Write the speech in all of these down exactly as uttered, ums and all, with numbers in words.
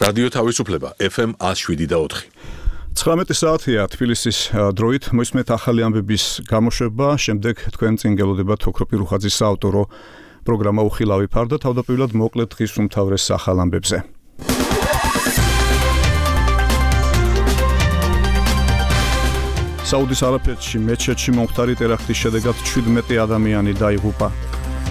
რადიო თავისუფლება ეფ ემ one oh seven და four. ცხრამეტი საათია თბილისის დროით მოისმენთ ახალი ამბების გამოშვება, შემდეგ თქვენ წინ გელოდებათ ოქროპირ უხაძის საავტორო პროგრამა უხილავი ფარდა, თავდაპირველად მოკლედ დღის უმთავრეს ახალ ამბებზე. საუდის არაბეთში მეჩეთში მომხდარი ტერაქტის შედეგად შვიდმეტი ადამიანი დაიღუპა.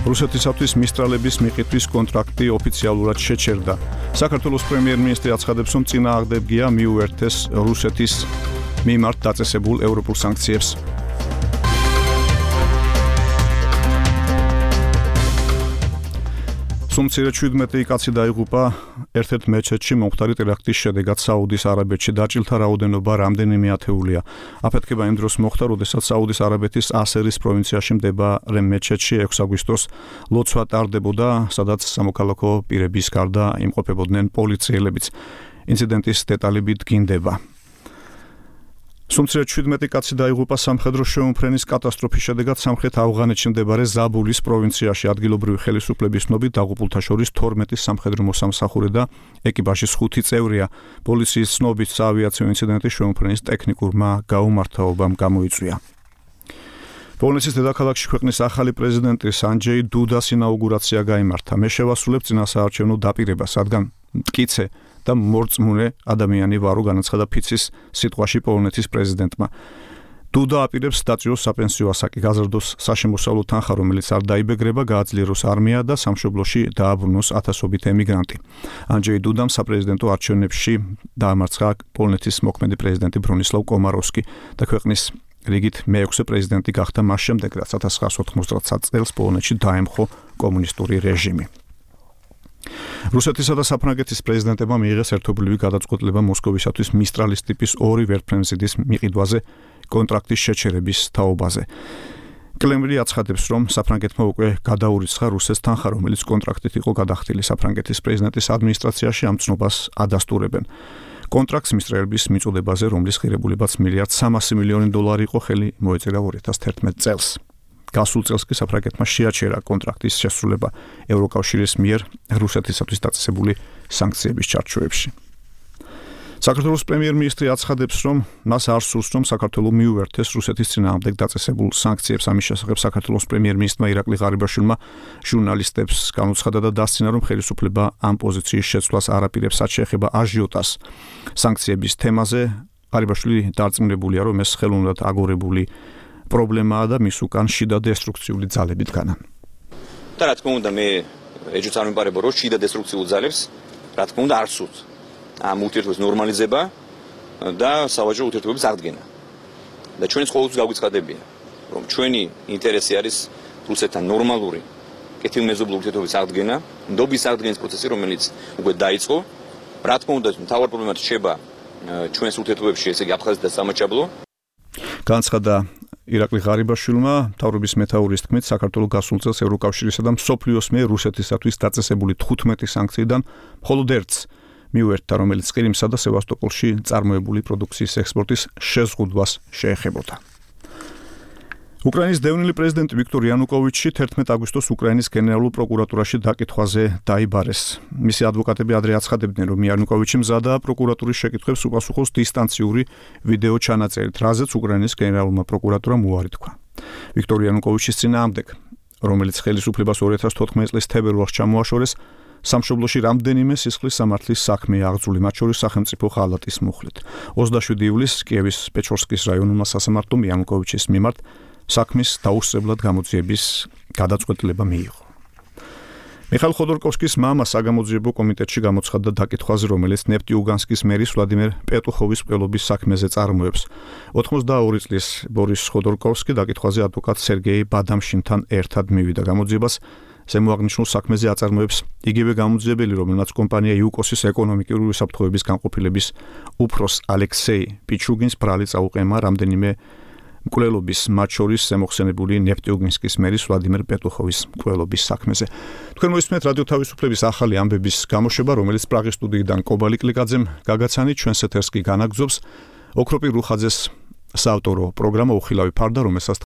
რუსეთისათვის მისტრალების მიყიდვის კონტრაქტი ოფიციალურად შეჩერდა. საქართველოს პრემიერ-მინისტრი აცხადებს, რომ წინააღმდეგია მიუერთეს რუსეთის მიმართ დაწესებულ ევროპულ სანქციებს. სუმცირე შვიდმეტი კაცი დაიღუპა ერთ-ერთ მეჩეთში მომხდარი ტერაქტის შედეგად საუდის არაბეთში. დაჭილთა რაოდენობა რამდენიმე ათეულია. აფეთქება იმ დროს მოხდა, როდესაც საუდის არაბეთის ასერის პროვინციაში მდებარე მეჩეთში ექვსი აგვისტოს ლოცვა ტარდებოდა, სადაც სამოქალაქო პირების გარდა იმყოფებოდნენ პოლიციელებიც. ინციდენტის დეტალები დგინდება. სუმცირე შვიდმეტი კაცი დაიღუპა სამხედრო შეუმფრენის კატასტროფის შედეგად სამხრეთ ავღანეთში მდებარე ზაბულის პროვინციაში. ადგილობრივი ხელისუფლების ცნობით დაღუპულთა შორის თორმეტი სამხედრო მოსამსახურე და ეკიპაჟის ხუთი წევრია. პოლიციის ცნობით საავიაციო ინციდენტი შეუმფრენის ტექნიკურმა გაუმართავობამ გამოიწვია. პოლონეთის დედაქალაქში ქვეყნის ახალი პრეზიდენტის ანჯეი დუდას ინაუგურაცია გაიმართა. მე შევასრულებ წინასაარჩევნო დაპირებას, რადგან მტკიცე და მორწმუნე ადამიანი ვარო, განაცხადა ფიცის სიტყვაში პოლონეთის პრეზიდენტმა. დუდა აპირებს დაწიოს საპენსიო ასაკი, გაზრდოს საშემოსავლო თანხა, რომელიც არ დაიბეგრება, გააძლიეროს არმია და სამშობლოში დააბრუნოს ათასობით ემიგრანტი. ანჯეი დუდამ საპრეზიდენტო არჩევნებში დაამარცხა პოლონეთის მოქმედი პრეზიდენტი ბრონისლავ კომაროვსკი და ქვეყნის რიგით მეექვსე პრეზიდენტი გახდა მას შემდეგ, რაც ათას ცხრაასი ოთხმოცდაათი წელს პოლონეთში დაემხო კომუნისტური რეჟიმი. რუსეთისა და საფრანგეთის პრეზიდენტებმა მიიღეს ერთობლივი გადაწყვეტილება მოსკოვისათვის მისტრალის ტიპის ორი ვერტმფრენზიდის მიყიდვაზე კონტრაქტის შეჩერების თაობაზე. კრემლი აცხადებს, რომ საფრანგეთმა უკვე გადაურიცხა რუსეთს თანხა, რომელიც კონტრაქტით იყო გადახდილი. საფრანგეთის პრეზიდენტის ადმინისტრაციაში ამ ცნობას ადასტურებენ. კონტრაქტს მისტრალების მიწოდებაზე, რომლის ღირებულებაც მილიარდ სამასი მილიონი დოლარი იყო, ხელი მოეწერა ორი ათას თერთმეტ წელს. გასულ წელს კი საფრანგეთმა შეაჩერა კონტრაქტის შესრულება ევროკავშირის მიერ რუსეთისათვის დაწესებული სანქციების ჩარჩოებში. საქართველოს პრემიერ-მინისტრი აცხადებს, რომ მას არ სურს, რომ საქართველო მიუერთეს რუსეთის წინააღმდეგ დაწესებულ სანქციებს. ამის შესახებ საქართველოს პრემიერ-მინისტრმა ირაკლი ღარიბაშვილმა ჟურნალისტებს განუცხადა და დასცინა, რომ ხელისუფლება ამ პოზიციის შეცვლას არ აპირებს, რაც შეეხება აჟიოტას სანქციების თემაზე. ღარიბაშვილი დარწმუნებულია, რომ ეს ხელოვნურად აგორებული პრობლემაა და მის უკან შიდა დესტრუქციული ძალები დგანან. და რა თქმა უნდა, მე ეჭვს არ მიმარება, რომ შიდა დესტრუქციულ ძალებს, რა თქმა უნდა, არ სურთ ამ ურთიერთობის ნორმალიზება და სავაჭრო ურთიერთობების აღდგენა. და ჩვენს ყოველთვის გაგვიცხადებია, რომ ჩვენი ინტერესი არის რუსეთთან ნორმალური კეთილმეზობლური ურთიერთობის აღდგენა, ნდობის აღდგენის პროცესი, რომელიც უკვე დაიწყო. რა თქმა უნდა, მთავარ პრობლემად რჩება ჩვენს ურთიერთობებში, ესე იგი აფხაზეთი და სამაჩაბლო. განაცხადა ირაკლი ღარიბაშვილმა, მთავრობის მეთაურის თქმით, საქართველოს გასულ წელს ევროკავშირისა და მსოფლიოს მიერ რუსეთისათვის დაწესებული თხუთმეტი სანქციიდან მხოლოდ ერთს მიუერთდა, რომელიც ყირიმსა და სევასტოპოლში წარმოებული პროდუქციის ექსპორტის შეზღუდვას შეეხებოდა. უკრაინის დევნილი პრეზიდენტი ვიქტორ იანუკოვიჩი თერთმეტ აგვისტოს უკრაინის გენერალურ პროკურატურაში დაკითხვაზე დაიბარეს. მისი ადვოკატები ადრე აცხადებდნენ, რომ იანუკოვიჩი მზადაა პროკურატურის შეკითხვებს უპასუხოს დისტანციური ვიდეო ჩანაწერით, რაზეც უკრაინის გენერალურმა პროკურატურამ უარი თქვა. ვიქტორ იანუკოვიჩის წინააღმდეგ, რომელიც ხელისუფლებას ორი ათას თოთხმეტი წლის თებერვალს ჩამოაშორეს, სამშობლოში რამდენიმე სისხლის სამართლის საქმეა აღძული, მათ შორის სახელმწიფო ხალატის მუხლით. ოცდაშვიდი ივლისს კიევის პეჩორსკის რაიონულმა სასამართლომ იანუკოვიჩის მიმართ საქმის დაუსწრებლად გამოძიების გადაწყვეტილება მიიღო. მიხაილ ხოდორკოვსკის მამა საგამოძიებო კომიტეტში გამოცხადდა დაკითხვაზე, რომელიც ნეფტიუგანსკის მერის ვლადიმერ პეტუხოვის მკვლელობის საქმეზე წარმოებს. ოთხმოცდაორი წლის ბორის ხოდორკოვსკი დაკითხვაზე ადვოკატ სერგეი ბადამშინთან ერთად მივიდა გამოძიებას. ზემოაღნიშნულ საქმეზე აწარმოებს იგივე გამოძიებელი, რომელმაც კომპანია იუკოსის ეკონომიკური უსაფრთხოების განყოფილების უფროს ალექსეი პიჩუგინს ბრალი წაუყემა რამდენიმე მკვლელობის, მათ შორის ზემოხსენებული ნეფტიუგინსკის მერის ვლადიმერ პეტუხოვის მკვლელობის საქმეზე. თქვენ მოისმენთ რადიო თავისუფლების ახალი ამბების გამოშვება, რომელიც პრაღის სტუდიიდან კობალი კლიკაძემ გაგაცანით, ჩვენს ეთერს კი განაგრძობს ოქროპირ უხაძეს საავტორო პროგრამა უხილავი ფარდა, რომელსაც